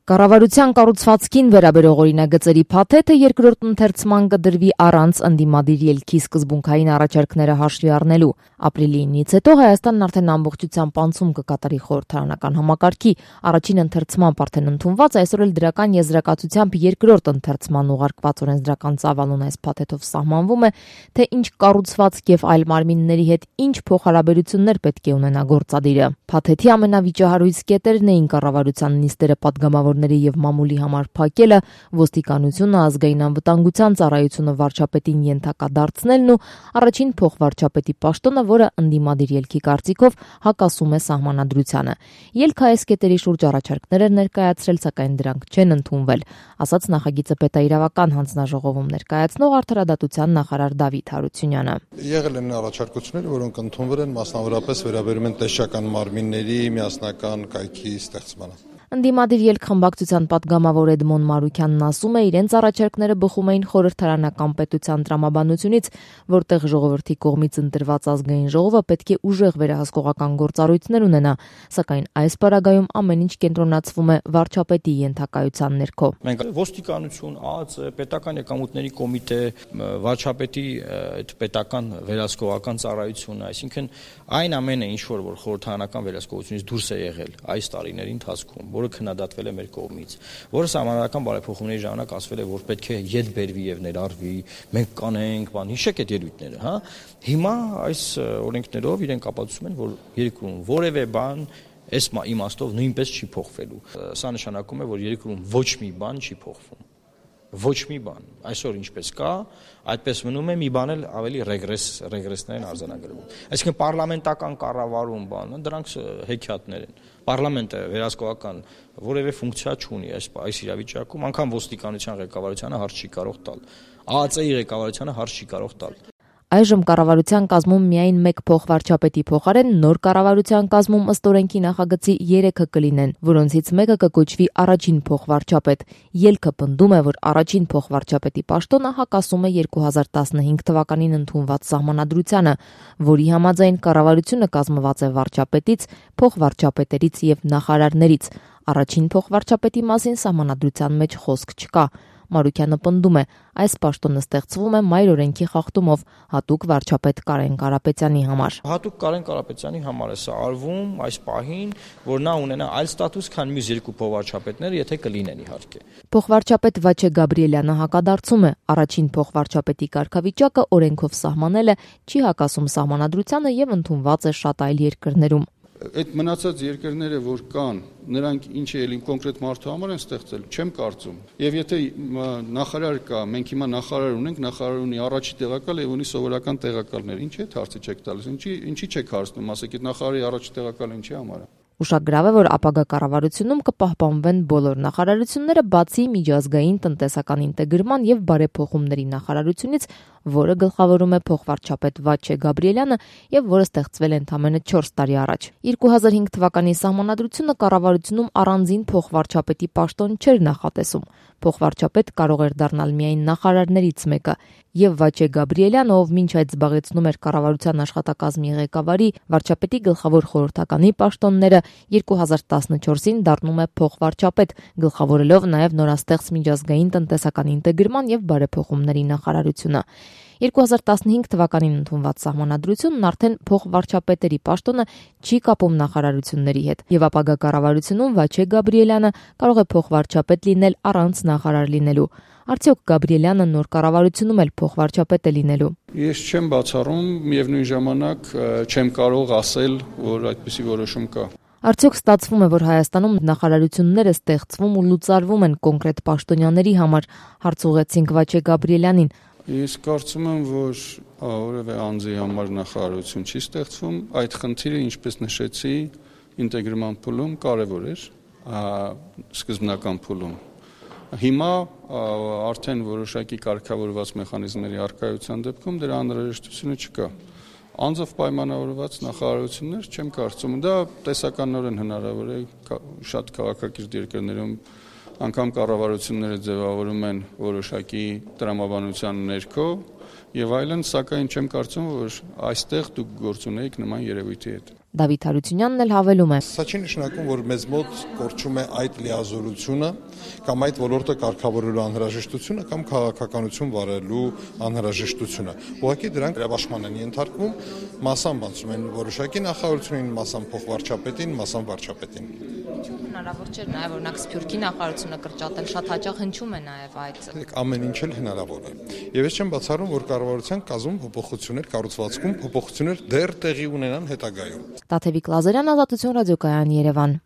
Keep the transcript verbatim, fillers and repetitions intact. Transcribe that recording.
Կառավարության կառուցվածքին վերաբերող օրինագծերի փաթեթը երկրորդ ընթերցման կդրվի առանց ընդդիմադիր ելքի սկզբունքային առաջարկները հաշվի առնելու։ Ապրիլի ինից հետո Հայաստանն արդեն ամբողջությամբ անցում կկատարի խորհրդարանական համակարգի առաջին ընթերցման արդեն ընդունված, այսօր էլ դրական եզրակացությամբ երկրորդ ընթերցման ուղարկված օրենսդրական ծավալուն այս փաթեթով սահմանվում է, թե ինչ կառուցվածք եւ այլ մարմինների հետ ինչ փոխհարաբերություններ պետք է ունենա գործադիրը։ Փաթեթի ամենավիճահարույց կետերն էին կառավարության նիստերը պատգամավորների եւ մամուլի համար փակելը, ոստիկանությունը, ազգային անվտանգության ծառայությունը վարչապետին ենթակա դարձնելն ու առաջին փոխվարչապետի պաշտոնը, որը ընդդիմադիր ելքի կարծիքով հակասում է սահմանադրությանը։ Ելքը այս կետերի շուրջ առաջարկներ էր ներկայացրել, սակայն դրանք չեն ընդունվել, ասաց նախագիծը պետաիրավական հանձնաժողովում ներկայացնող Արդարադատության նախարար Դավիթ Հարությունյանը։ Եղել են առաջարկություններ, որոնք ընդունվել են, մասնավորապես վերաբերում են տեսչական մարմինների միասնական կայքի ստեղծմանը։ Ընդդիմադիր ելք խմբակցության պատգամավոր Էդմոն Մարուքյանն ասում է, իրենց առաջարկները բխում էին խորհրդարանական պետության տրամաբանությունից, որտեղ ժողովրդի կողմից ընտրված ազգային ժողովը պետք է ուժեղ վերահսկողական գործառույթներ ունենա, սակայն այս պարագայում ամեն ինչ կենտրոնացվում է վարչապետի ենթակայության ներքո։ Մենք ոստիկանություն, ԱԱԾ, պետական եկամուտների կոմիտե, վարչապետի այդ պետական վերահսկողական ծառայությունը, այսինքն այն ամենը, ինչ որ որ խորհրդարանական վերահսկողությունից դուրս է եղել այս տարիների ընթացքում, որը քննադատվել է մեր կողմից, որը սահմանադրական բարեփոխումների ժամանակ ասվել է, որ պետք է ետ բերվի եւ ներառվի, մենք կանենք, բան, հիշեք այդ ելույթները, հա։ Հիմա այս օրենքներով իրենք ապացուցում են, որ երկրում որևէ բան այս իմաստով նույնպես չի փոխվելու։ Սա նշանակում է, որ երկրում ոչ մի բան չի փոխվում։ Ոչ մի բան։ Այսօր ինչպես կա, այդպես մնում է, մի բան էլ ավելի ռեգրես, ռեգրեսներ են արձանագրվում։ Այսինքն պարլամենտական կառավարում բանը, դրանք հեքիաթներ են։ Պարլամենտը վերահսկողական որևէ ֆունկցիա չունի այս այս իրավիճակում, անգամ ոստիկանության ղեկավարությանը հարց չի կարող տալ։ ԱԱԾ-ի ղեկավարությանը հարց չի կարող տալ։ Այժմ կառավարության կազմում միայն մեկ փոխվարչապետի փոխարեն նոր կառավարության կազմում ըստ օրենքի նախագծի երեքը կլինեն, որոնցից մեկը կկոչվի առաջին փոխվարչապետ։ Ելքը պնդում է, որ առաջին փոխվարչապետի պաշտոնը հակասում է երկու հազար տասնհինգ թվականին ընդունված սահմանադրությանը, որի համաձայն կառավարությունը կազմված է վարչապետից, փոխվարչապետերից եւ նախարարներից։ Առաջին փոխվարչապետի մասին սահմանադրության մեջ խոսք չկա։ Մարուքյանը պնդում է, այս պաշտոնը ստեղծվում է մայր օրենքի խախտումով հատուկ վարչապետ Կարեն Կարապետյանի համար։ Հատուկ Կարեն Կարապետյանի համար է սա արվում այս պահին, որ նա ունենա այլ ստատուս, քան մյուս երկու փոխվարչապետները, եթե կլինեն իհարկե։ Փոխվարչապետ Վաչե Գաբրիելյանը հակադարձում է, առաջին փոխվարչապետի կարգավիճակը օրենքով սահմանելը չի հակասում սահմանադրությանը եւ ընդունված է շատ այլ երկրներում։ Այդ մնացած երկրները, որ կան, նրանք ինչ է ելին կոնկրետ մարդու համար են ստեղծել, չեմ կարծում։ Եվ եթե նախարար կա, մենք հիմա նախարար ունենք, նախարար ունի առաջի տեղակալ եւ ունի սովորական տեղակալներ, ինչ է հարցը չեք տալիս, ինչի ինչի չեք հարցնում, ասեք, այդ նախարարի առաջի տեղակալը ինչի համար է։ Ուշագրավ է, որ ապագա կառավարությունում կպահպանվեն բոլոր նախարարությունները, բացի միջազգային տնտեսական ինտեգրման եւ բարեփոխումների նախարարությունից, որը գլխավորում է փոխվարչապետ Վաչե Գաբրիելյանը եւ որը ստեղծվել է ընդամենը չորս տարի առաջ։ երկու հազար հինգ թվականի սահմանադրությունը կառավարությունում առանձին փոխվարչապետի պաշտոն չէր նախատեսում։ Փոխվարչապետ կարող էր դառնալ միայն նախարարներից մեկը, եւ Վաչե Գաբրիելյանը, ով մինչ այդ զբաղեցնում էր կառավարության աշխատակազմի ղեկավարի, վարչապետի գլխավոր խորհրդականի պաշտոնները, երկու հազար տասնչորսին դառնում է փոխվարչապետ, գլխավորելով նաեւ նորաստեղծ միջազգային տնտեսական ինտեգրման եւ բարեփոխումների նախարարությունը։ երկու հազար տասնհինգ թվականին ընդունված սահմանադրությունն արդեն փոխվարչապետերի պաշտոնը չի կապում նախարարությունների հետ, եւ ապագա կառավարությունում Վաչե Գաբրիելյանը կարող է փոխվարչապետ լինել առանց նախարար լինելու։ Արդյոք Գաբրիելյանը նոր կառավարությունում էլ փոխվարչապետ է լինելու։ Ես չեմ բացառում, միևնույն ժամանակ չեմ կարող ասել, որ այդպիսի որոշում կա։ Արդյոք ստացվում է, որ Հայաստանում նախարարությունները ստեղծվում ու լուծարվում են կոնկրետ պաշտոնյաների համար, հարց ուղղեցինք Վաչե Գաբրիելյանին։ Ես կարծում եմ, որ որևէ անձի համար նախարարություն չի ստեղծվում, այդ խնդիրը, ինչպես նշեցի, ինտեգրման փուլում կարևոր էր, սկզբնական փուլում։ Հիմա արդեն որոշակի կարգավորված մեխանիզմների առկայության դեպքում դրա անհրաժեշտությունը չկա։ Անձով պայմանավորված նախարարություններ չեմ կարծում, դա տեսականորեն հնարավոր է շատ քաղաքակիրթ երկրներում, անգամ կառավարությունները ձևավորում են որոշակի տրամաբանության ներքո եւ այլն, սակայն չեմ կարծում, որ այստեղ դուք գործ ունեիք նման երևույթի հետ։ Դավիթ Հարությունյանն էլ հավելում է. Սա չի նշանակում, որ մեզ մոտ կորչում է այդ լիազորությունը կամ այդ ոլորտը կարգավորելու անհրաժեշտությունը կամ քաղաքականություն վարելու անհրաժեշտությունը։ Ուղղակի դրանք վերաբաշխման են ենթարկվում, մասամբ անցում են որոշակի նախարարությունին, մասամբ փոխվարչապետին, մասամբ վարչապետին։ Հնարավոր չէր նաև օրինակ Սփյուռքի նախարարությունը կրճատել, շատ հաճախ հնչում է նաև այդ։ Ամեն ինչ էլ հնարավոր է։ Եվ ես չեմ բացառում, որ կառավարության կազմում փոփոխություններ, կառուցվածքում փոփոխություններ դեռ տեղի ունենան հետագայում։ Տաթևիկ Լազարյան, Ազատություն ռադիոկայան, Երևան։